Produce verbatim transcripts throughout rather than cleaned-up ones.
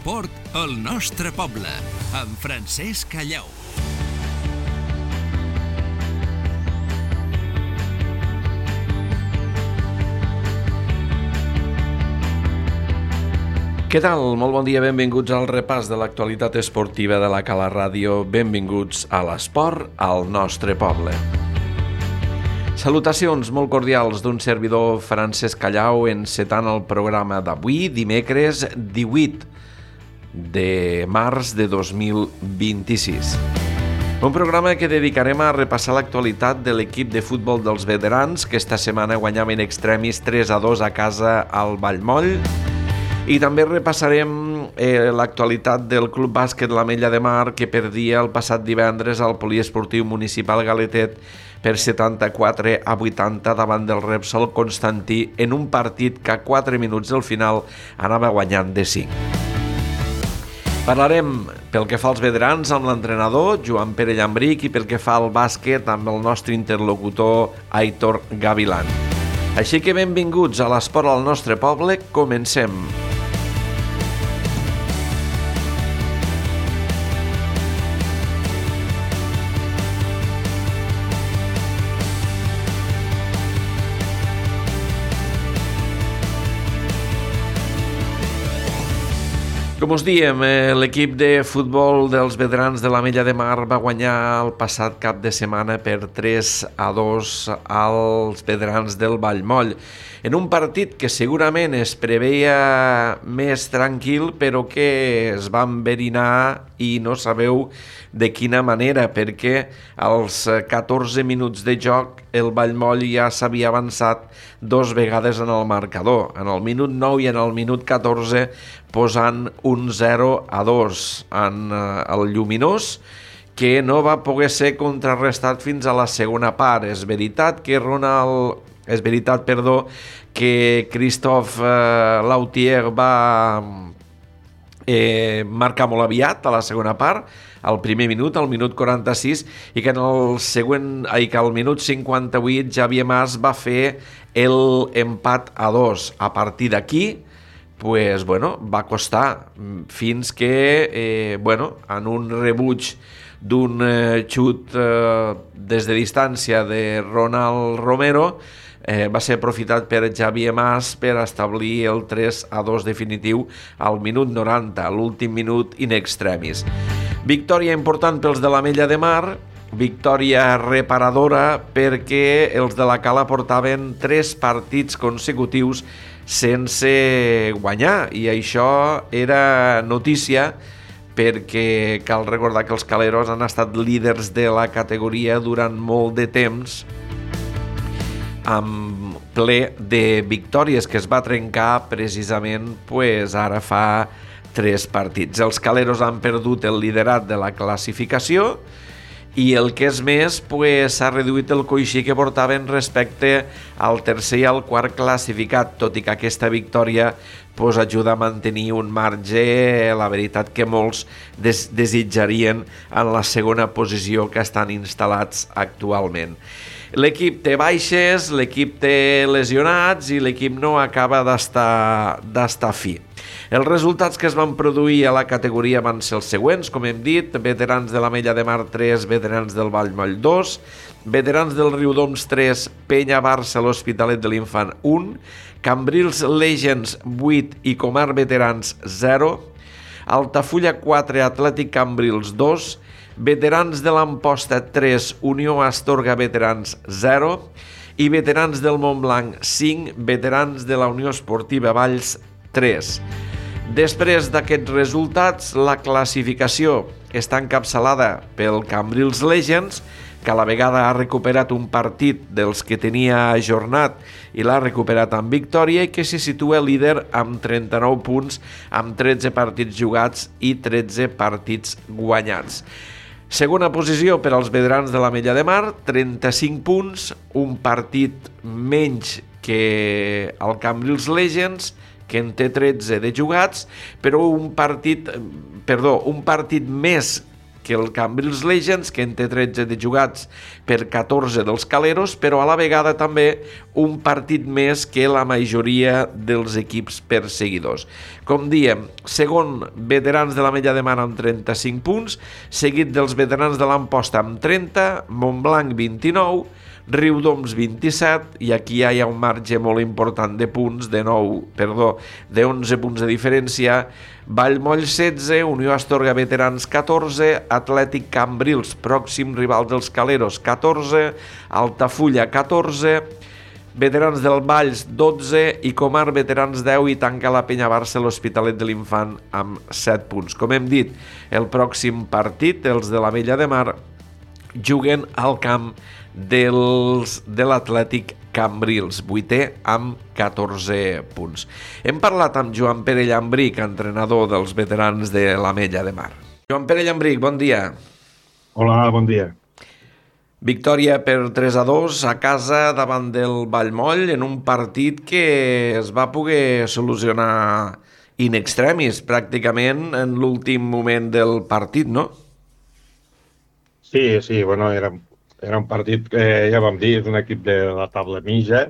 l'esport al nostre poble, amb Francesc Callau. Què tal? Molt bon dia, benvinguts al repàs de l'actualitat esportiva de la Cala Ràdio. Benvinguts a l'esport al nostre poble. Salutacions molt cordials d'un servidor Francesc Callau encetant el programa d'avui, dimecres divuit de març de dos mil vint-i-sis. Un programa que dedicarem a repassar l'actualitat de l'equip de futbol dels veterans, que esta setmana guanyava in extremis tres a dos a casa al Vallmoll. I també repassarem eh, l'actualitat del Club Bàsquet l'Ametlla de Mar, que perdia el passat divendres al Poliesportiu Municipal Galetet per setanta-quatre a vuitanta davant del Repsol Constantí en un partit que a quatre minuts del final anava guanyant de cinc. Parlarem pel que fa als veterans amb l'entrenador Joan Pere Llambric i pel que fa al bàsquet amb el nostre interlocutor Aitor Gavilán. Així que benvinguts a l'esport al nostre poble, comencem. Com us diem, l'equip de futbol dels veterans de l'Ametlla de Mar va guanyar el passat cap de setmana per tres a dos als veterans del Vallmoll, en un partit que segurament es preveia més tranquil, però que es va enverinar i no sabeu de quina manera, perquè als catorze minuts de joc el Vallmoll ja s'havia avançat dos vegades en el marcador, en el minut nou i en el minut catorze, posant un zero a dos en el Lluminós, que no va poder ser contrarrestat fins a la segona part. És veritat que Ronald... És veritat, perdó, que Christophe eh, Lautier va eh, marcar molt aviat a la segona part, al primer minut, al minut quaranta-sis, i que en el següent, ai, que al minut cinquanta-vuit Javier Mas va fer l'empat a dos. A partir d'aquí, pues, bueno, va costar fins que, eh, bueno, en un rebuig d'un eh, xut eh, des de distància de Ronald Romero, eh, va ser aprofitat per Javier Mas per establir el tres a dos definitiu al minut noranta, l'últim minut in extremis. Victòria important pels de l'Ametlla de Mar, victòria reparadora perquè els de la Cala portaven tres partits consecutius sense guanyar, i això era notícia perquè cal recordar que els caleros han estat líders de la categoria durant molt de temps, amb ple de victòries que es va trencar precisament pues, ara fa tres partits. Els caleros han perdut el liderat de la classificació i el que és més, pues, s'ha reduït el coixí que portaven respecte al tercer i al quart classificat, tot i que aquesta victòria pues, ajuda a mantenir un marge, la veritat que molts des desitjarien en la segona posició que estan instal·lats actualment. L'equip té baixes, l'equip té lesionats i l'equip no acaba d'estar d'estar fi. Els resultats que es van produir a la categoria van ser els següents, com hem dit: veterans de l'Ametlla de Mar tres, veterans del Vallmoll dos, veterans del Riudoms tres, Penya Barça l'Hospitalet de l'Infant un, Cambrils Legends vuit i Comar Veterans zero, Altafulla quatre, Atlètic Cambrils dos, veterans de l'Amposta tres, Unió Astorga Veterans zero i veterans del Montblanc cinc, veterans de la Unió Esportiva Valls tres. Després d'aquests resultats, la classificació està encapçalada pel Cambrils Legends, que a la vegada ha recuperat un partit dels que tenia ajornat i l'ha recuperat amb victòria, i que se situa líder amb trenta-nou punts, amb tretze partits jugats i tretze partits guanyats. Segona posició per als veterans de l'Ametlla de Mar, trenta-cinc punts, un partit menys que el Cambrils Legends, que en té tretze de jugats, però un partit, perdó, un partit més que el Cambrils Legends, que en té tretze de jugats per catorze dels Caleros, però a la vegada també un partit més que la majoria dels equips perseguidors. Com diem, segon, Veterans de l'Ametlla de Mar amb trenta-cinc punts, seguit dels Veterans de l'Amposta amb trenta, Montblanc vint-i-nou, Riudoms vint-i-set, i aquí ja hi ha un marge molt important de punts, de nou, perdó, de onze punts de diferència. Vallmoll setze, Unió Astorga Veterans catorze, Atlètic Cambrils, pròxim rival dels Caleros, catorze, Altafulla catorze, Veterans del Valls dotze i Comar Veterans deu, i tanca la Penya Barça l'Hospitalet de l'Infant amb set punts. Com hem dit, el pròxim partit, els de l'Ametlla de Mar, juguen al camp dels, de l'Atlètic Cambrils, vuitè amb catorze punts. Hem parlat amb Joan Pere Llambric, entrenador dels Veterans de l'Ametlla de Mar. Joan Pere Llambric, bon dia. Hola, bon dia. Victòria per tres a dos a casa davant del Vallmoll en un partit que es va poder solucionar in extremis, pràcticament en l'últim moment del partit, no? Sí, sí, bueno, era, era un partit que ja vam dir, és un equip de la taula mitja,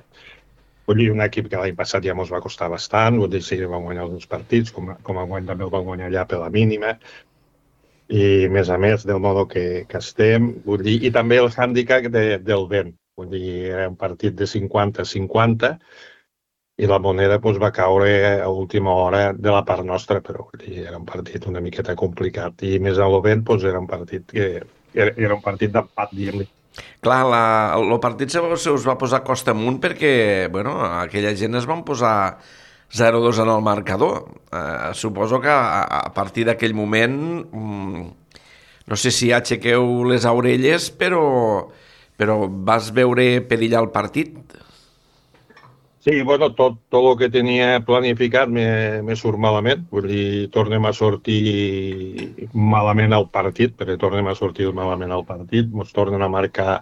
vull dir, un equip que l'any passat ja ens va costar bastant, vull dir, sí, vam guanyar els dos partits, com, com a guany també el vam guanyar allà per la mínima, i a més a més del modo que, que estem, vull dir, i també el hàndicap de, del vent, vull dir, era un partit de cinquanta a cinquanta, i la moneda doncs, va caure a última hora de la part nostra, però vull dir, era un partit una miqueta complicat, i més a lo vent doncs, era un partit que era, era un partit d'empat, diguem-ne. Clar, la, el partit se us va posar costa amunt perquè, bueno, aquella gent es van posar zero dos en el marcador. Eh, suposo que a, a partir d'aquell moment, mm, no sé si aixequeu les orelles, però, però vas veure perillar el partit. Sí, bueno, tot, tot el que tenia planificat me, me surt malament, vull dir, tornem a sortir malament al partit, perquè tornem a sortir malament al partit, ens tornen a marcar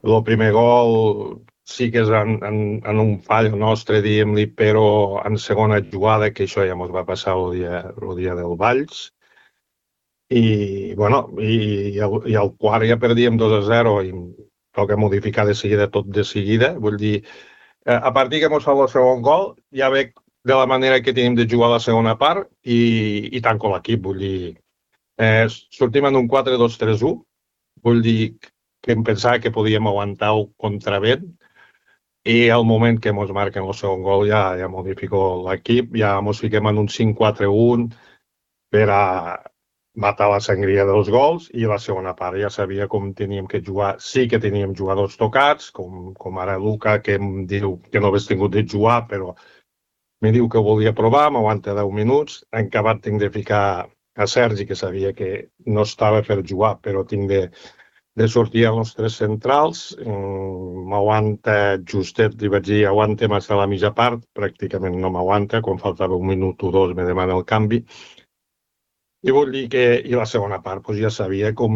el primer gol, sí que és en, en, en un fall nostre, diguem-li, però en segona jugada, que això ja ens va passar el dia, el dia del Valls, i, bueno, i, i, el, i el quart ja perdíem dos a zero, i toca modificar de seguida, tot de seguida, vull dir, a partir que ens fa el segon gol, ja veig de la manera que tenim de jugar la segona part i, i tanco l'equip. Vull dir, eh, sortim en un quatre dos tres u, vull dir que em pensava que podíem aguantar el contravent i al moment que ens marquen el segon gol ja, ja modifico l'equip, ja ens fiquem en un cinc quatre un per a matar la sangria dels gols, i la segona part ja sabia com teníem que jugar. Sí que teníem jugadors tocats, com, com ara Luca, que em diu que no hagués tingut de jugar, però me diu que volia provar, m'aguanta deu minuts. En acabat tinc de ficar a Sergi, que sabia que no estava per jugar, però tinc de, de sortir a les tres centrals. M'aguanta justet, li vaig dir, aguanta massa a la mitja part, pràcticament no m'aguanta, quan faltava un minut o dos me demana el canvi. I vull dir que i la segona part doncs ja sabia com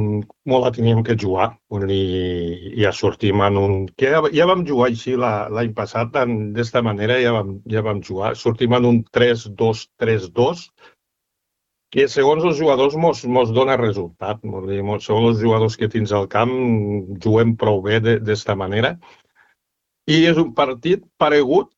molt la teníem que jugar. Vull dir, ja sortim en un... que ja, ja vam jugar així l'any passat, d'esta manera ja vam, ja vam jugar. Sortim en un tres dos tres dos, que segons els jugadors mos, mos dona resultat. Vull dir, segons els jugadors que tens al camp juguem prou bé d'esta manera. I és un partit paregut.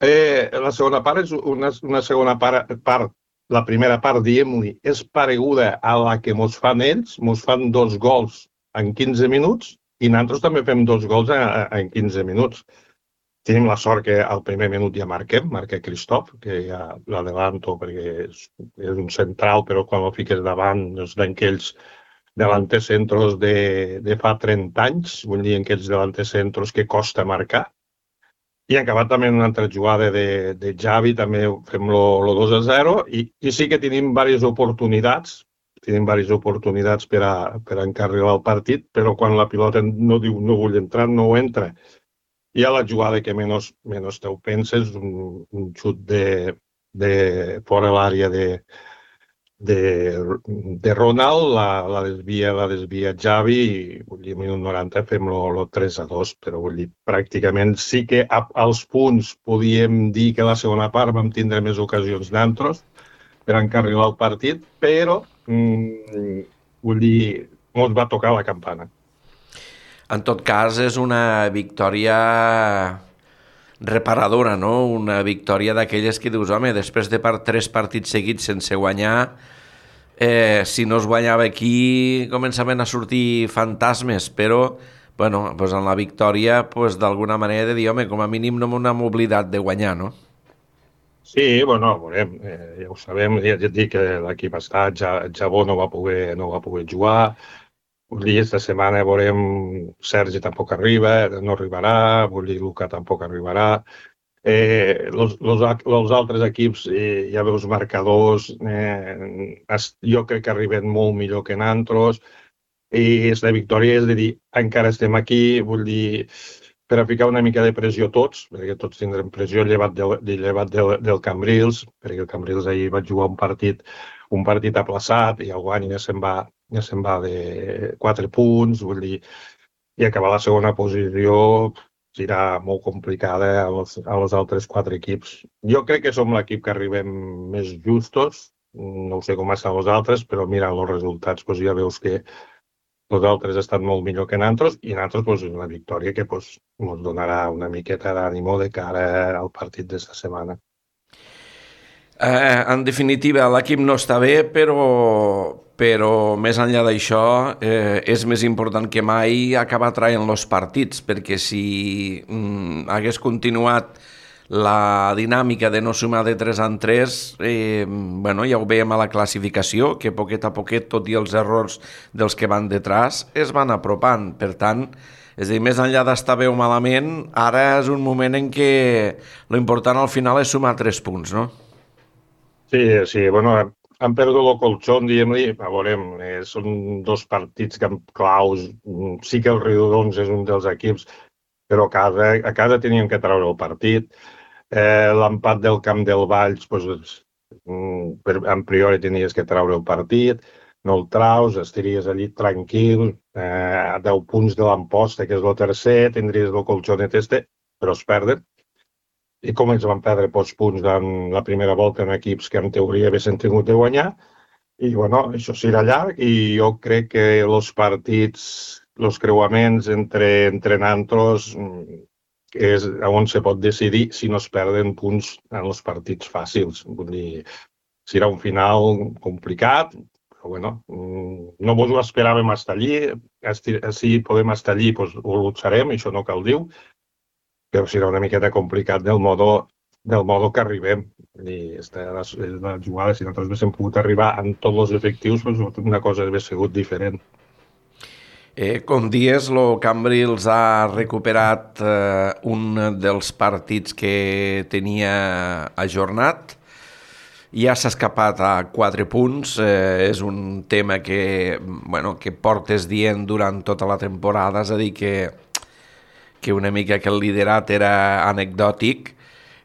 Eh, la segona part és una, una segona part, part la primera part, diguem-li, és pareguda a la que ens fan ells, ens fan dos gols en quinze minuts i nosaltres també fem dos gols en quinze minuts. Tenim la sort que al primer minut ja marquem, marca Cristof, que ja l'adelanto perquè és, és un central, però quan el fiques davant és d'aquells delantecentros de, de fa trenta anys, vull dir, aquells delantecentros que costa marcar. I ha acabat també una altra jugada de, de Xavi, també fem el dos a zero, i, i sí que tenim diverses oportunitats, tenim diverses oportunitats per a, per a encarrilar el partit, però quan la pilota no diu no vull entrar, no ho entra. I a la jugada que menys, menys te ho penses, un, un xut de, de fora l'àrea de, de, de Ronald, la, la desvia la desvia Xavi, i vull dir, minut noranta fem el tres a dos, però vull dir, pràcticament sí que a, als punts podíem dir que la segona part vam tindre més ocasions d'altres per encarrilar el partit, però mm, vull dir, ens va tocar la campana. En tot cas, és una victòria reparadora, no? Una victòria d'aquelles que dius, home, després de per tres partits seguits sense guanyar, eh, si no es guanyava aquí, començaven a sortir fantasmes, però, bueno, pues en la victòria, pues, d'alguna manera de dir, home, com a mínim no m'hem oblidat de guanyar, no? Sí, bueno, veurem, eh, ja ho sabem, ja, ja et dic que l'equip està, ja, Jabó no va poder, no va poder jugar, vull dir, esta setmana veurem, Sergi tampoc arriba, no arribarà, vull dir, Luca tampoc arribarà. Eh, los, los, els altres equips, eh, ja veus marcadors, eh, es, jo crec que arriben molt millor que nosaltres, i la victòria és de dir, encara estem aquí, vull dir, per a ficar una mica de pressió tots, perquè tots tindrem pressió llevat, del, llevat del, del Cambrils, perquè el Cambrils ahir va jugar un partit, un partit aplaçat i el guany ja se'n va, ja se'n va de quatre punts, vull dir, i acabar la segona posició serà molt complicada a els, a els altres quatre equips. Jo crec que som l'equip que arribem més justos, no sé com estan els altres, però mira els resultats, doncs ja veus que els altres estan molt millor que nosaltres i nosaltres doncs, una victòria que doncs, ens donarà una miqueta d'ànimo de cara al partit d'esta setmana. Eh, en definitiva, l'equip no està bé, però, però més enllà d'això eh, és més important que mai acabar traient els partits, perquè si mm, hagués continuat la dinàmica de no sumar de tres en tres, eh, bueno, ja ho veiem a la classificació, que poquet a poquet, tot i els errors dels que van detrás, es van apropant. Per tant, és a dir, més enllà d'estar bé o malament, ara és un moment en què l'important al final és sumar tres punts, no? Sí, sí, bueno, han perdut el colxón, diguem-li, a veurem, eh, són dos partits que claus, sí que el Riudons és un dels equips, però a casa, a casa teníem que treure el partit. Eh, L'empat del camp del Valls, doncs, per, en priori tenies que treure el partit, no el traus, estaries allí tranquil, eh, a deu punts de l'Amposta, que és el tercer, tindries el colxonet este, però es perden. I com ens van perdre pocs punts en la primera volta en equips que en teoria haguessin tingut de guanyar. I, bueno, això serà llarg i jo crec que els partits, els creuaments entre, entre nosaltres, és on se pot decidir si no es perden punts en els partits fàcils. Vull dir, serà un final complicat, però bueno, no vos ho esperàvem estar allí. Si podem estar allí, doncs ho luxarem, això no cal dir, però serà una miqueta complicat del modo, del modo que arribem. I esta la, la jugada, si nosaltres haguéssim pogut arribar amb tots els efectius, doncs una cosa hauria sigut diferent. Eh, com dies, el Cambrils ha recuperat eh, un dels partits que tenia ajornat. Ja s'ha escapat a quatre punts. Eh, és un tema que, bueno, que portes dient durant tota la temporada, és a dir, que, que una mica que el liderat era anecdòtic,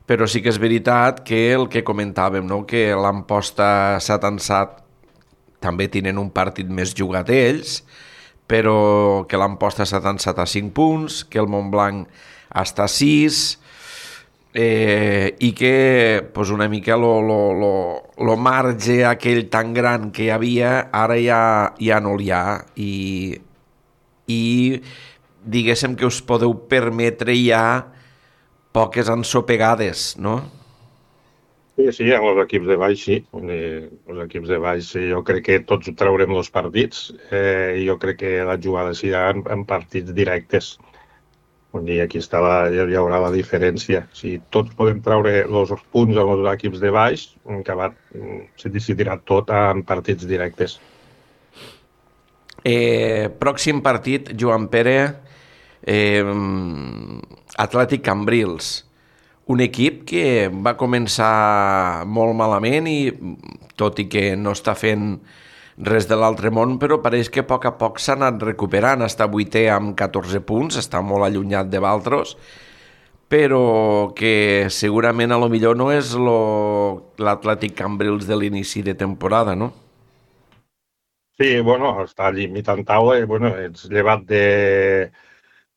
però sí que és veritat que el que comentàvem, no? Que l'Amposta s'ha tensat, també tenen un partit més jugat ells, però que l'Amposta s'ha tensat a cinc punts, que el Montblanc està a sis, eh, i que pues, una mica el marge aquell tan gran que hi havia, ara ja, ja no hi ha, i, i diguéssim que us podeu permetre ja poques ensopegades, no? Sí, sí, amb els equips de baix, sí. Els equips de baix, sí. Jo crec que tots traurem els partits eh, i jo crec que la jugada serà en, en partits directes. I aquí està la, hi haurà la diferència. Si tots podem treure els punts als equips de baix, acabat, se decidirà tot en partits directes. Eh, pròxim partit, Joan Pere, eh, Atlètic Cambrils. Un equip que va començar molt malament i, tot i que no està fent res de l'altre món, però pareix que a poc a poc s'ha anat recuperant. Està vuitè amb catorze punts, està molt allunyat de Valtros, però que segurament a lo millor no és l'Atlètic Cambrils de l'inici de temporada, no? Sí, bueno, està allí imitant taula, bueno, ets llevat de...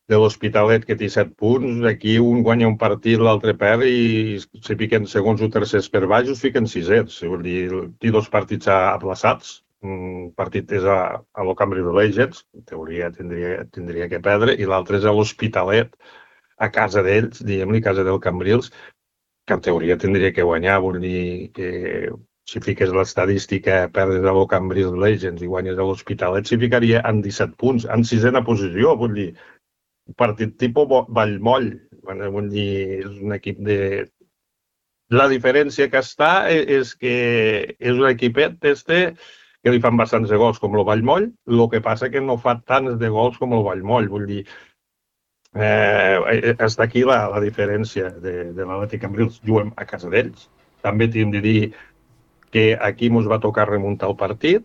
de l'Hospitalet, que té set punts, aquí un guanya un partit, l'altre perd, i si fiquen segons o tercers per baix, us fiquen sisets. Vull dir, té dos partits aplaçats, un partit és a, a lo Cambrils Legends, en teoria tindria, tindria que perdre, i l'altre és a l'Hospitalet, a casa d'ells, diguem-li, casa del Cambrils, que en teoria tindria que guanyar. Vull dir que si fiques l'estadística, perdes a lo Cambrils Legends i guanyes a l'Hospitalet, s'hi ficaria en disset punts, en sisena posició. Vull dir, un partit tipus Vallmoll. Bueno, vull dir, és un equip de... La diferència que està és que és un equipet este que li fan bastants de gols com el Vallmoll, el que passa que no fa tants de gols com el Vallmoll. Vull dir, eh, està aquí la, la diferència de, de l'Atlètic Cambrils. Juguem a casa d'ells. També hem de dir que aquí ens va tocar remuntar el partit,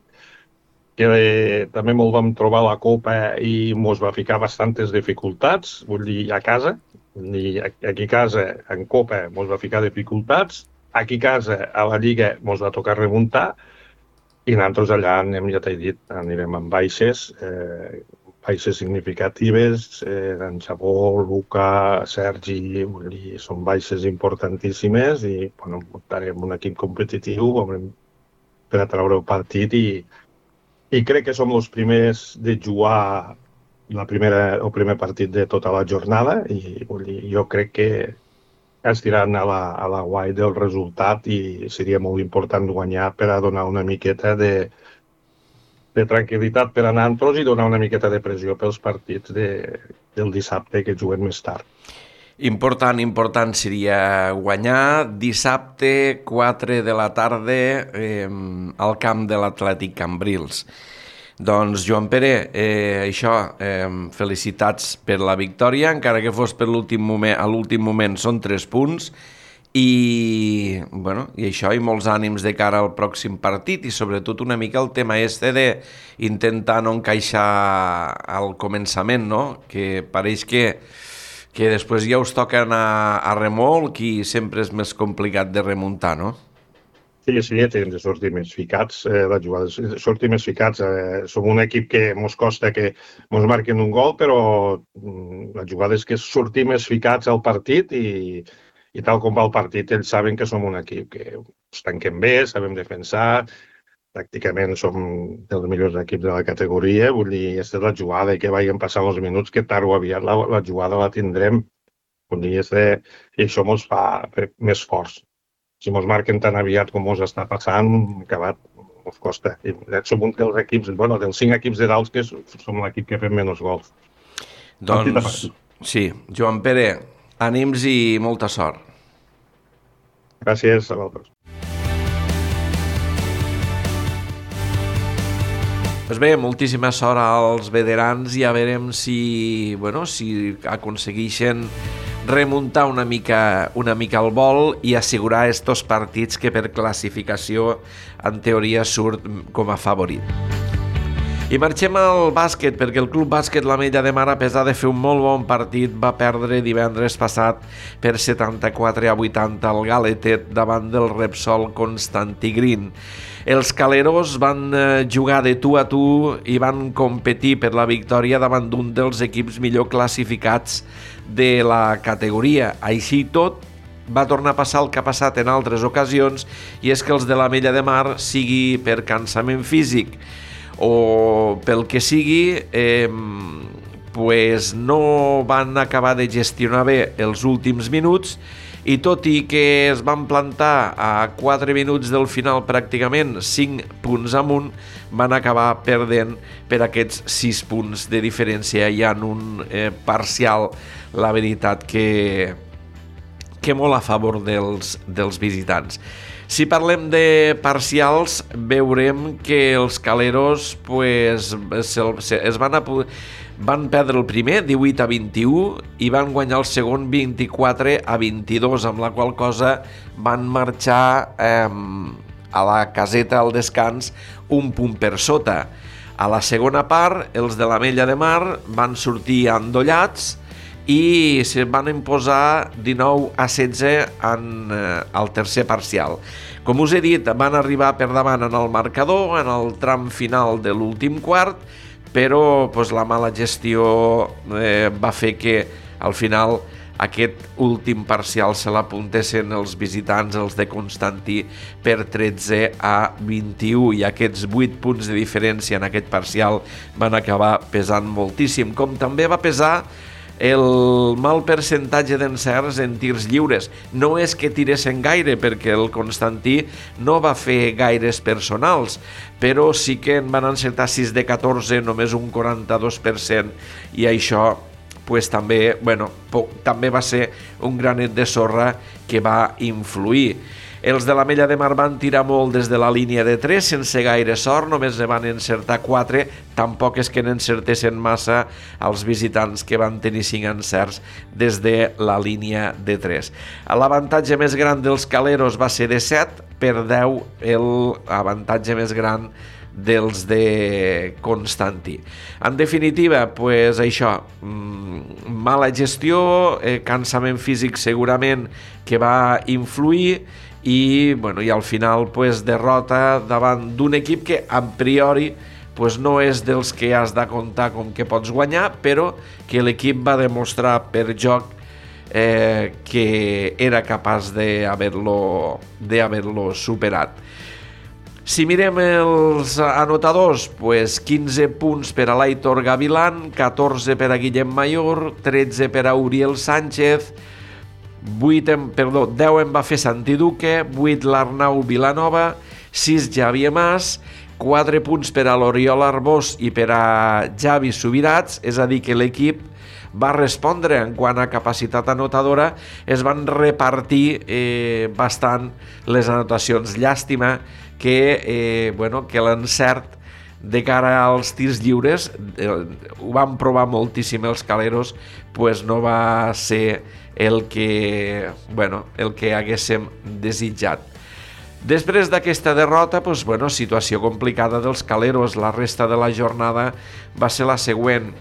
que eh, també ens vam trobar la Copa i ens va ficar bastantes dificultats, vull dir, a casa. Vull dir, aquí a casa, en Copa, ens va ficar dificultats. Aquí a casa, a la Lliga, ens va tocar remuntar. I nosaltres allà anem, ja t'he dit, anirem amb baixes, eh, baixes significatives, eh, en Xabó, Luca, Sergi, vull dir, són baixes importantíssimes i, bueno, muntarem un equip competitiu per a treure el partit i, i crec que som els primers de jugar la primera, el primer partit de tota la jornada i, vull dir, jo crec que estiran a la, a la guai del resultat i seria molt important guanyar per a donar una miqueta de, de tranquil·litat per a nosaltres i donar una miqueta de pressió pels partits de, del dissabte que juguen més tard. Important, important seria guanyar dissabte quatre de la tarda eh, al camp de l'Atlètic Cambrils. Doncs, Joan Pere, eh, això, eh, felicitats per la victòria, encara que fos per l'últim moment, a l'últim moment són tres punts, i, bueno, i això, i molts ànims de cara al pròxim partit, i sobretot una mica el tema este d'intentar no encaixar al començament, no? Que pareix que, que després ja us toca anar a remolc i sempre és més complicat de remuntar, no? Sí, sí, hem de sortir més ficats, eh, la jugada, sortir més ficats. Eh, som un equip que ens costa que ens marquin un gol, però mm, la jugada és que sortir més ficats al partit i, i tal com va el partit, ells saben que som un equip que ens tanquem bé, sabem defensar, pràcticament som dels millors equips de la categoria, vull dir, aquesta és la jugada i que vagin passant els minuts, que tard o aviat la, la jugada la tindrem, vull dir, este, i això ens fa més forts. Si ens marquen tan aviat com ens està passant, acabat, ens costa. I som un dels equips, bueno, dels cinc equips de dalt que som l'equip que fem menys gols. Doncs, sí, Joan Pere, ànims i molta sort. Gràcies a vosaltres. Pues bé, moltíssima sort als veterans i a veurem si, bueno, si aconsegueixen remuntar una mica, una mica el vol i assegurar estos partits que per classificació en teoria surt com a favorit. I marxem al bàsquet, perquè el Club Bàsquet l'Ametlla de Mar, a pesar de fer un molt bon partit, va perdre divendres passat per setanta-quatre a vuitanta al Galetet davant del Repsol Constantí Green. Els caleros van jugar de tu a tu i van competir per la victòria davant d'un dels equips millor classificats de la categoria. Així tot, va tornar a passar el que ha passat en altres ocasions, i és que els de l'Ametlla de Mar, sigui per cansament físic o pel que sigui, eh, pues no van acabar de gestionar bé els últims minuts, i tot i que es van plantar a quatre minuts del final pràcticament cinc punts amunt, van acabar perdent per aquests sis punts de diferència i en un eh, parcial, la veritat que, que molt a favor dels, dels visitants. Si parlem de parcials, veurem que els caleros pues, es van, a, van perdre el primer divuit a vint-i-u i van guanyar el segon vint-i-quatre a vint-i-dos, amb la qual cosa van marxar eh, a la caseta al descans un punt per sota. A la segona part, els de l'Ametlla de Mar van sortir endollats i se van imposar dinou a setze en eh, el tercer parcial. Com us he dit, van arribar per davant en el marcador en el tram final de l'últim quart, però pues, la mala gestió eh, va fer que al final aquest últim parcial se l'apuntessin els visitants, els de Constantí, per tretze a vint-i-u, i aquests vuit punts de diferència en aquest parcial van acabar pesant moltíssim, com també va pesar el mal percentatge d'encerts en tirs lliures. No és que tiressin gaire, perquè el Constantí no va fer gaires personals, però sí que en van encertar sis de catorze, només un quaranta-dos per cent, i això pues, també, bueno, també va ser un granet de sorra que va influir. Els de l'Ametlla de Mar van tirar molt des de la línia de tres, sense gaire sort, només ne van encertar quatre, tampoc és que n'encertessin massa els visitants, que van tenir cinc encerts des de la línia de tres. L'avantatge més gran dels caleros va ser de set per deu, l'avantatge més gran dels de Constantí. En definitiva, pues això, mala gestió, eh, cansament físic segurament que va influir, i, bueno, i al final pues, derrota davant d'un equip que a priori pues, no és dels que has de comptar com que pots guanyar, però que l'equip va demostrar per joc eh, que era capaç d'haver-lo d'haver-lo superat. Si mirem els anotadors, pues quinze punts per a l'Aitor Gavilán, catorze per a Guillem Mayor, tretze per a Uriel Sánchez, vuit en, perdó, deu en va fer Santi Duque, vuit l'Arnau Vilanova, sis Javier Mas, quatre punts per a l'Oriol Arbós i per a Javi Subirats, és a dir que l'equip va respondre en quant a capacitat anotadora, es van repartir eh, bastant les anotacions. Llàstima que, eh, bueno, que l'encert de cara als tirs lliures, eh, ho van provar moltíssim els caleros, pues no va ser el que, bueno, el que haguéssim desitjat. Després d'aquesta derrota, pues, bueno, situació complicada dels caleros. La resta de la jornada va ser la següent.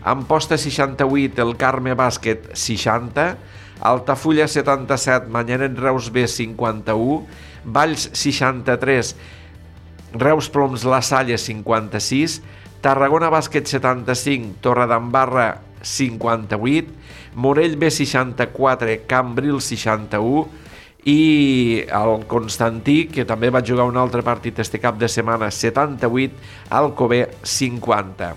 Amposta seixanta-vuit, el Carme Bàsquet seixanta, Altafulla setanta-set, Manyanet Reus B cinquanta-u, Valls seixanta-tres, Reus Ploms La Salle cinquanta-sis, Tarragona Bàsquet setanta-cinc, Torredembarra cinquanta-vuit, Morell B seixanta-quatre, Cambril seixanta-u, i el Constantí, que també va jugar un altre partit este cap de setmana, setanta-vuit, Alcover cinquanta.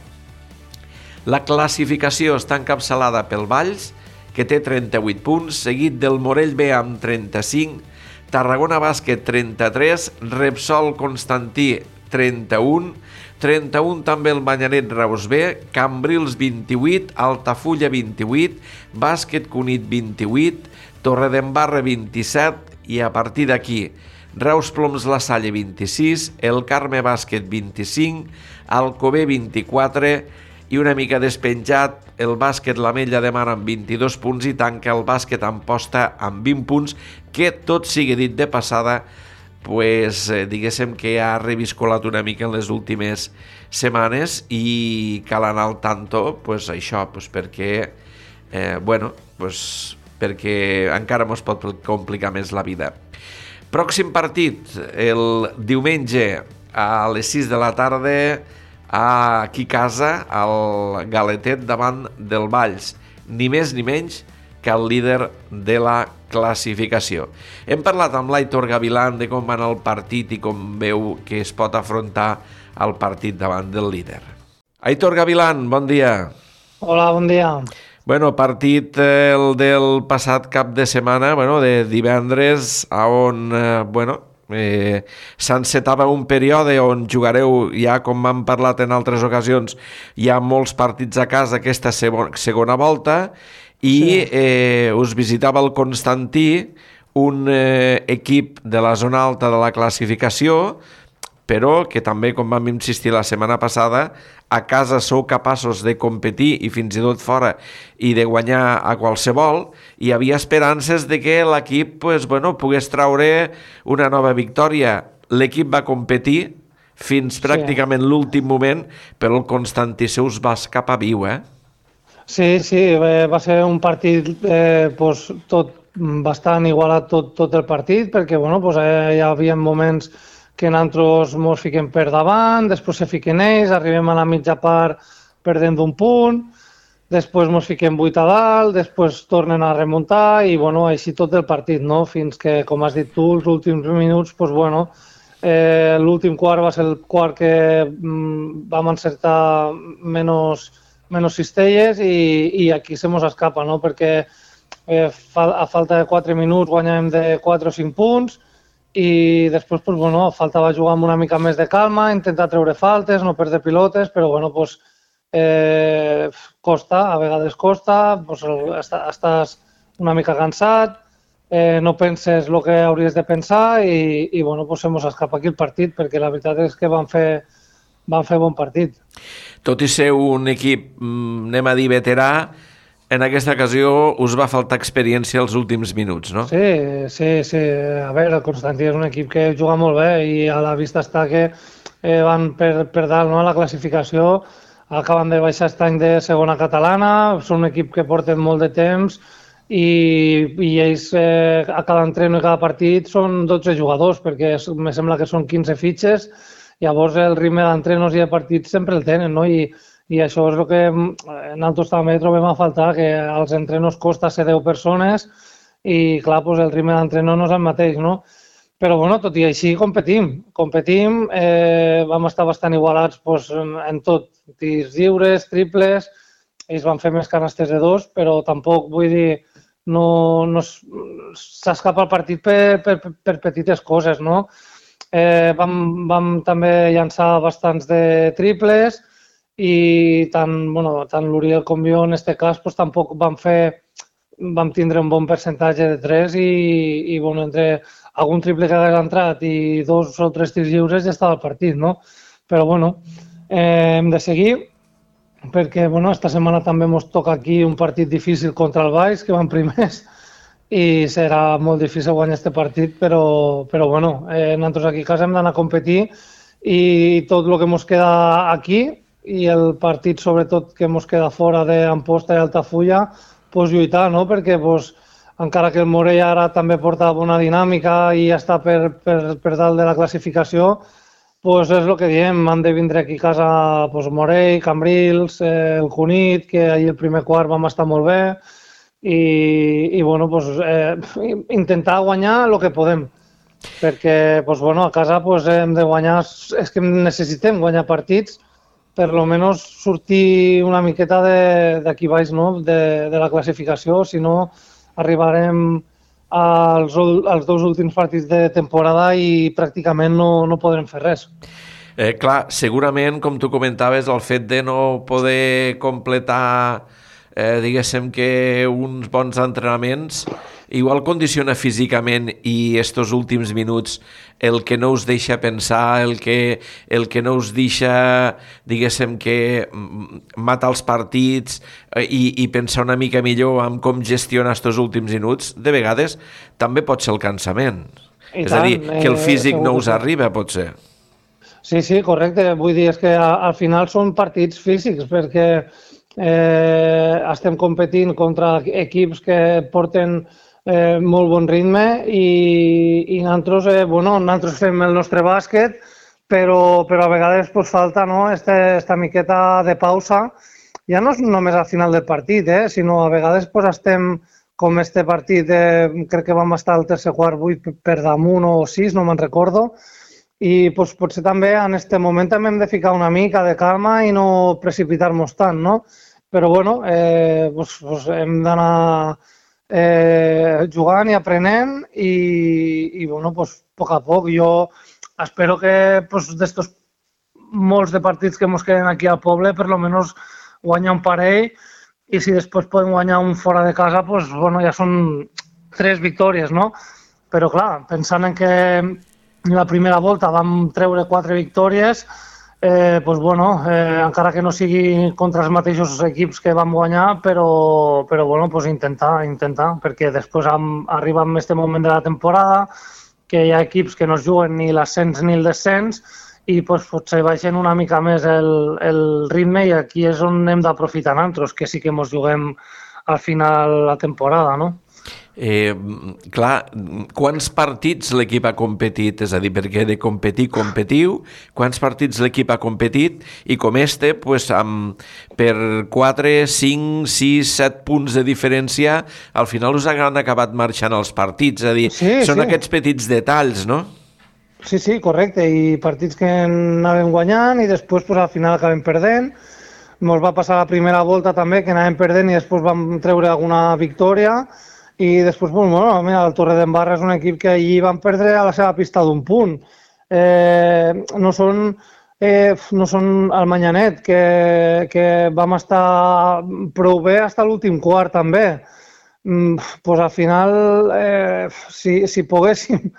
La classificació està encapçalada pel Valls, que té trenta-vuit punts, seguit del Morell B amb trenta-cinc, Tarragona Bàsquet trenta-tres, Repsol Constantí trenta-un, trenta-un també el Manyanet Reus B, Cambrils vint-i-vuit, Altafulla vint-i-vuit, Bàsquet Cunit vint-i-vuit, Torredembarra vint-i-set, i a partir d'aquí Reus Ploms La Salle vint-i-sis, el Carme Bàsquet vint-i-cinc, Alcover vint-i-quatre, i una mica despenjat el Bàsquet l'Ametlla de Mar amb vint-i-dos punts, i tanca el Bàsquet Amposta amb vint punts, que tot sigui dit de passada, pues, eh, diguéssim que ha reviscolat una mica en les últimes setmanes, i cal anar al tanto, pues, això, pues, perquè, eh, bueno, pues, perquè encara mos pot complicar més la vida. Pròxim partit, el diumenge a les sis de la tarda, aquí a casa, al Galetet davant del Valls, ni més ni menys que el líder de la classificació. Hem parlat amb l'Aitor Gavilán de com va anar el partit i com veu que es pot afrontar el partit davant del líder. Aitor Gavilán, bon dia. Hola, bon dia. Bueno, partit eh, el del passat cap de setmana, bueno, de divendres, on, eh, bueno, Eh, s'encetava un període on jugareu, ja com m'han parlat en altres ocasions, hi ha molts partits a casa aquesta segona volta, i sí. eh, us visitava el Constantí, un eh, equip de la zona alta de la classificació, però que també, com vam insistir la setmana passada, a casa sou capaços de competir, i fins i tot fora, i de guanyar a qualsevol. Hi havia esperances de que l'equip pues, bueno, pogués traure una nova victòria. L'equip va competir fins sí. pràcticament l'últim moment, però el Constantí se us va escapar viu, eh? Sí, sí, va ser un partit eh, pues, tot bastant igualat tot, tot el partit, perquè bueno, pues, eh, hi havia moments que nosaltres ens fiquem per davant, després se fiquen ells, arribem a la mitja part perdent d'un punt, després ens fiquem vuit a dalt, després tornen a remuntar i bueno, així tot el partit, no? Fins que, com has dit tu, els últims minuts, pues, bueno, eh, l'últim quart va ser el quart que mm, vam encertar menys, menys cistelles i, i aquí se mos escapa, no? Perquè eh, fa, a falta de quatre minuts guanyàvem de quatre o cinc punts i després, pues, bueno, faltava jugar amb una mica més de calma, intentar treure faltes, no perdre pilotes, però bueno, pues, Eh, costa, a vegades costa, pues, estàs una mica cansat, eh, no penses el que hauries de pensar i, i bueno, pues, se mos escapa aquí el partit perquè la veritat és que van fer, van fer bon partit. Tot i ser un equip, anem a dir, veterà, en aquesta ocasió us va faltar experiència els últims minuts, no? Sí, sí, sí. A veure, el Constantí és un equip que juga molt bé i a la vista està que eh, van per, per dalt, no?, a la classificació. Acaben de baixar aquest any de segona catalana, són un equip que porten molt de temps i, i ells eh, a cada entreno i cada partit són dotze jugadors, perquè em sembla que són quinze fitxes, llavors el ritme d'entrenos i de partits sempre el tenen, no? I, i això és el que nosaltres també trobem a faltar, que als entrenos costa ser deu persones i clar, doncs el ritme d'entreno no és el mateix, no? Però bueno, tot i així competim, competim, eh, vam estar bastant igualats pues, en, en tot, tirs lliures, triples, ells van fer més canastes de dos, però tampoc vull dir, no, no s'escapa el partit per, per, per petites coses, no? Eh, vam, vam també llançar bastants de triples i tant, bueno, tant l'Uriel com jo en aquest cas pues, tampoc vam fer, vam tindre un bon percentatge de tres i, i bueno, entre algun triple que hagués entrat i dos o tres tirs lliures ja estava el partit, no? Però bueno, eh, hem de seguir perquè bueno, esta setmana també ens toca aquí un partit difícil contra el Valls, que van primers, i serà molt difícil guanyar aquest partit, però, però bueno, eh, nosaltres aquí a casa hem d'anar a competir i tot el que ens queda aquí i el partit sobretot que ens queda fora d'Amposta i Altafulla, pues, lluitar, no? Perquè pues, encara que el Morell ara també porta bona dinàmica i ja està per, per, per dalt de la classificació, pues és el que diem, han de vindre aquí a casa pues, Morell, Cambrils, eh, el Cunit, que ahir el primer quart vam estar molt bé, i, i bueno, pues, eh, intentar guanyar el que podem, perquè pues, bueno, a casa pues, hem de guanyar, és que necessitem guanyar partits, per almenys sortir una miqueta d'aquí baix, no? de, de la classificació, si no arribarem als, als dos últims partits de temporada i pràcticament no, no podrem fer res. Eh, clar, segurament, com tu comentaves, el fet de no poder completar, eh, diguéssim que uns bons entrenaments, igual condiciona físicament i estos últims minuts el que no us deixa pensar, el que, el que no us deixa, diguéssim, que matar els partits i, i pensar una mica millor en com gestionar estos últims minuts, de vegades també pot ser el cansament. I és tant, a dir, que el físic eh, no us arriba, potser. Sí, sí, correcte. Vull dir, és que al final són partits físics, perquè eh, estem competint contra equips que porten Eh, molt bon ritme i, i nosaltres, eh, bueno, nosaltres fem el nostre bàsquet, però, però a vegades pues, falta no, este, esta miqueta de pausa. Ja no és només al final del partit, eh, sinó a vegades pues, estem com este partit, eh, crec que vam estar al tercer quart vuit per damunt o sis, no me'n recordo, i pues, potser també en aquest moment també hem de ficar una mica de calma i no precipitar-nos tant, no? Però bueno, eh, pues, pues, hem d'anar Eh, jugant i aprenent i, i bueno, pues, a poc a poc. Jo espero que pues, d'estos molts de partits que ens queden aquí al poble, per almenys guanyar un parell i si després podem guanyar un fora de casa, pues, bueno, ja són tres victòries, no? Però clar, pensant en que la primera volta vam treure quatre victòries, Eh, pues bueno, eh, encara que no sigui contra els mateixos equips que vam guanyar, però, però bueno, pues intentar, intentar, perquè després am, arriba en aquest moment de la temporada que hi ha equips que no es juguen ni l'ascens ni el descens i pues, potser baixen una mica més el, el ritme i aquí és on hem d'aprofitar nosaltres, que sí que ens juguem al final la temporada, no? Eh, clar, quants partits l'equip ha competit? És a dir, perquè de competir, competiu, quants partits l'equip ha competit i com este, pues, amb, per quatre, cinc, sis, set punts de diferència, al final us han acabat marxant els partits. És a dir, sí, són sí. aquests petits detalls, no? Sí, sí, correcte, i partits que anàvem guanyant i després pues, al final acabem perdent. Ens va passar la primera volta també que anàvem perdent i després vam treure alguna victòria. I després, bueno, mira, el Torredembarra és un equip que allí van perdre a la seva pista d'un punt. Eh, no són, eh, no són el Manyanet, que, que vam estar prou bé fins a l'últim quart també. Mm, pues al final, eh, si, si poguéssim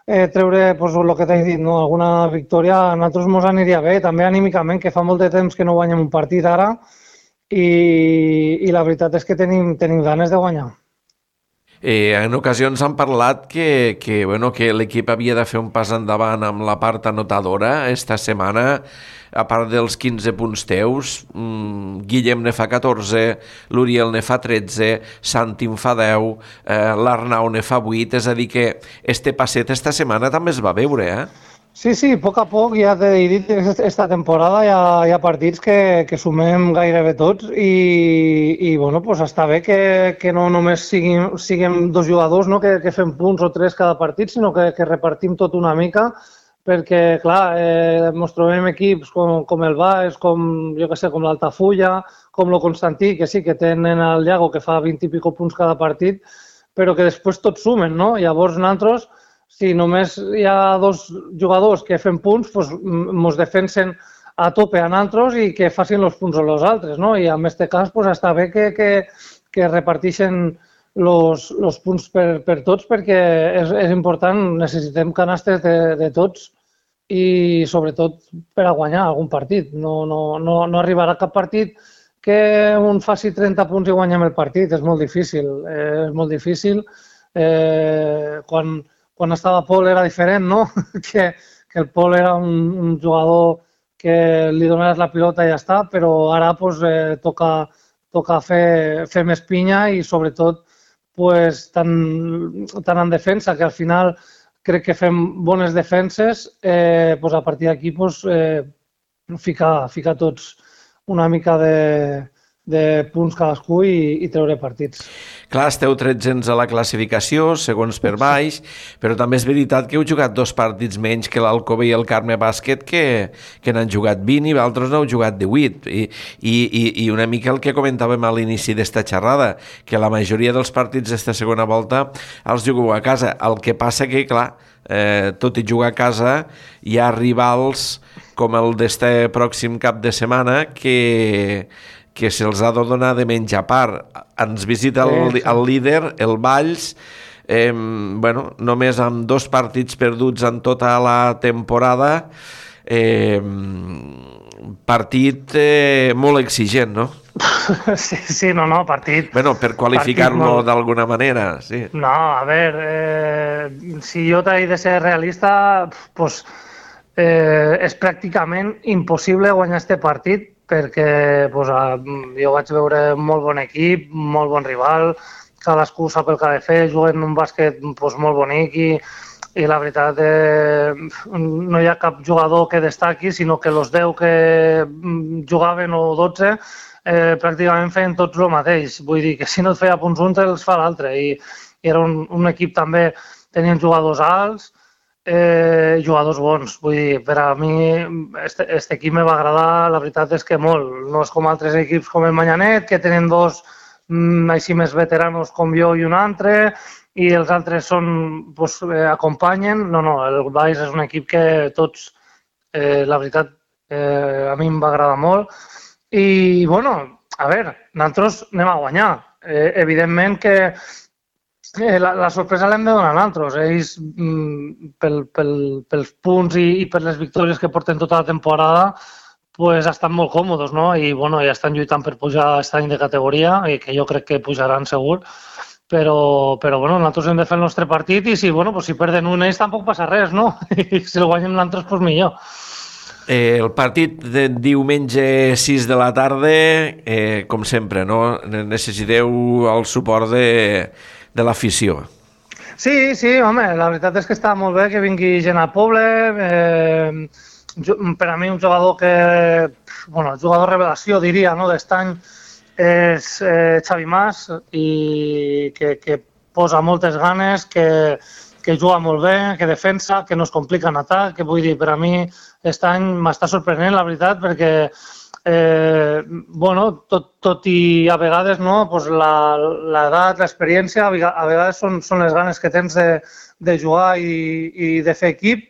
eh, treure pues, el que t'he dit, no? Alguna victòria, a nosaltres ens aniria bé, també anímicament, que fa molt de temps que no guanyem un partit ara i, i la veritat és que tenim, tenim ganes de guanyar. Eh, en ocasions han parlat que, que, bueno, que l'equip havia de fer un pas endavant amb la part anotadora esta setmana, a part dels quinze punts teus. mmm, Guillem ne fa catorze, l'Uriel ne fa tretze, Santi en fa deu, eh, l'Arnau ne fa vuit, és a dir que este passet esta setmana també es va veure, eh? Sí, sí, a poc a poc, ja t'he dit, aquesta temporada hi ha, hi ha partits que, que sumem gairebé tots i, i bueno, pues està bé que, que no només siguin, siguem dos jugadors, no? que, que fem punts o tres cada partit, sinó que, que repartim tot una mica, perquè, clar, eh, ens trobem equips com, com el Baix, com, jo que sé, com l'Altafulla, com el Constantí, que sí, que tenen el Llago, que fa vint i pico punts cada partit, però que després tots sumen, no? Llavors, nosaltres, si només hi ha dos jugadors que fem punts, doncs ens defensen a tope a nosaltres i que facin els punts a los altres, no? I en aquest cas doncs, està bé que, que, que reparteixen els punts per, per tots perquè és, és important, necessitem canastes de, de tots i sobretot per a guanyar algun partit. No, no, no, no arribarà cap partit que un faci trenta punts i guanyem el partit, és molt difícil, eh, és molt difícil. Eh, quan Quan estava Pol era diferent, no? que, que el Pol era un, un jugador que li donaves la pilota i ja està, però ara pues, eh, toca, toca fer, fer més pinya i sobretot pues, tant, tant en defensa, que al final crec que fem bones defenses, eh, pues, a partir d'aquí pues, eh, ficar, ficar tots una mica de, de punts cadascú i, i treure partits. Clar, esteu tretzens a la classificació, segons per baix, però també és veritat que heu jugat dos partits menys que l'Alcover i el Carme Bàsquet, que, que n'han jugat vint i altres n'heu jugat divuit. I, i, I una mica el que comentàvem a l'inici d'esta xerrada, que la majoria dels partits d'esta segona volta els jugueu a casa. El que passa que, clar, eh, tot i jugar a casa, hi ha rivals com el d'este pròxim cap de setmana que... que se'ls ha de donar de menjar part. Ens visita el, el líder, el Valls, eh, bueno, només amb dos partits perduts en tota la temporada, eh, partit eh, molt exigent, no? Sí, sí, no, no, partit... Bueno, per qualificar-lo molt... d'alguna manera, sí. No, a veure, eh, si jo t'he de ser realista, pues, eh, és pràcticament impossible guanyar este partit perquè pues, jo vaig veure molt bon equip, molt bon rival, cadascú sap el que ha de fer, juguen un bàsquet pues, molt bonic i, i la veritat eh, no hi ha cap jugador que destaqui, sinó que els deu que jugaven o dotze eh, pràcticament feien tots el mateix. Vull dir que si no et feia punts un, els fa l'altre. I, i era un, un equip també, tenien jugadors alts, Eh, jugadors bons, vull dir, per a mi este, este equip me va agradar, la veritat és que molt, no és com altres equips com el Manyanet, que tenen dos mm, així més veteranos com jo i un altre, i els altres són, pues, eh, acompanyen, no, no, el Baix és un equip que tots, eh, la veritat, eh, a mi em va agradar molt, i, bueno, a veure, nosaltres anem a guanyar, eh, evidentment que Eh, la, la sorpresa l'hem de donar a nosaltres. Ells, mm, pel, pel, pels punts i, i per les victòries que porten tota la temporada, pues, estan molt còmodes, no? I bueno, ja estan lluitant per pujar aquest any de categoria, i que jo crec que pujaran segur. Però, però bueno, nosaltres hem de fer el nostre partit i si, bueno, pues, si perden un ells tampoc passa res, no? I si el guanyem nosaltres, pues millor. Eh, el partit de diumenge sis de la tarda, eh, com sempre, no? Necessiteu el suport de, de l'afició. Sí, sí, home, la veritat és que està molt bé que vingui gent al poble. Eh, per a mi un jugador que, bueno, jugador revelació diria, no, d'est any és eh, Xavi Mas, i que, que posa moltes ganes, que, que juga molt bé, que defensa, que no es complica en atac, que vull dir, per a mi aquest any m'està sorprenent, la veritat, perquè eh, bueno, tot, tot i a vegades no, pues l'edat, l'experiència, a vegades són, són les ganes que tens de, de jugar i, i de fer equip,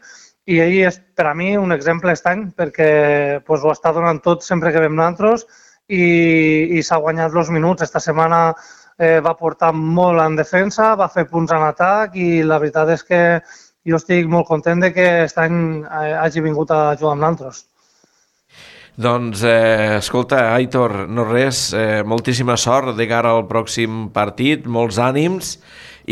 i ell és per a mi un exemple aquest any, perquè pues, ho està donant tot sempre que vam nosaltres, i, i s'ha guanyat els minuts. Esta setmana eh, va portar molt en defensa, va fer punts en atac, i la veritat és que jo estic molt content de que aquest any hagi vingut a jugar amb nosaltres. Doncs, eh, escolta, Aitor, no res, eh, moltíssima sort de cara al pròxim partit, molts ànims,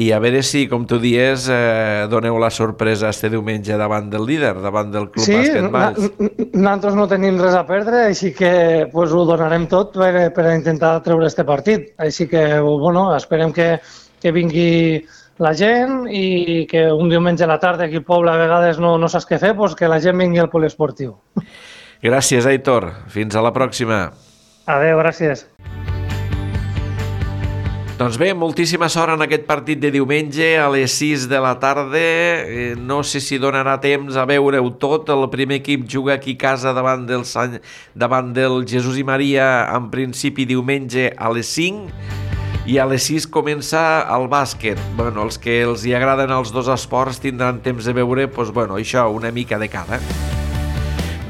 i a veure si, com tu dies, eh, doneu la sorpresa este diumenge davant del líder, davant del Club sí, Bàsquet Valls. Sí, nosaltres no tenim res a perdre, així que pues, ho donarem tot per, per intentar treure este partit. Així que, bueno, esperem que, que vingui la gent i que un diumenge a la tarda aquí al poble a vegades no, no saps què fer, doncs que la gent vingui al poliesportiu. Gràcies, Aitor. Fins a la pròxima. Adéu, gràcies. Doncs bé, moltíssima sort en aquest partit de diumenge a les sis de la tarda. Eh, no sé si donarà temps a veure-ho tot. El primer equip juga aquí a casa davant del, Sant... davant del Jesús i Maria, en principi diumenge a les cinc. I a les sis comença el bàsquet. Bueno, els que els hi agraden els dos esports tindran temps de veure, doncs, bueno, això, una mica de cada.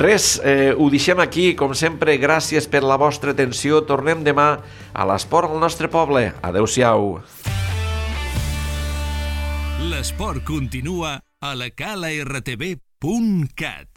Res, eh, ho deixem aquí. Com sempre, gràcies per la vostra atenció. Tornem demà a l'Esport al nostre poble. Adéu-siau. L'esport continua a la cala r t v punt cat.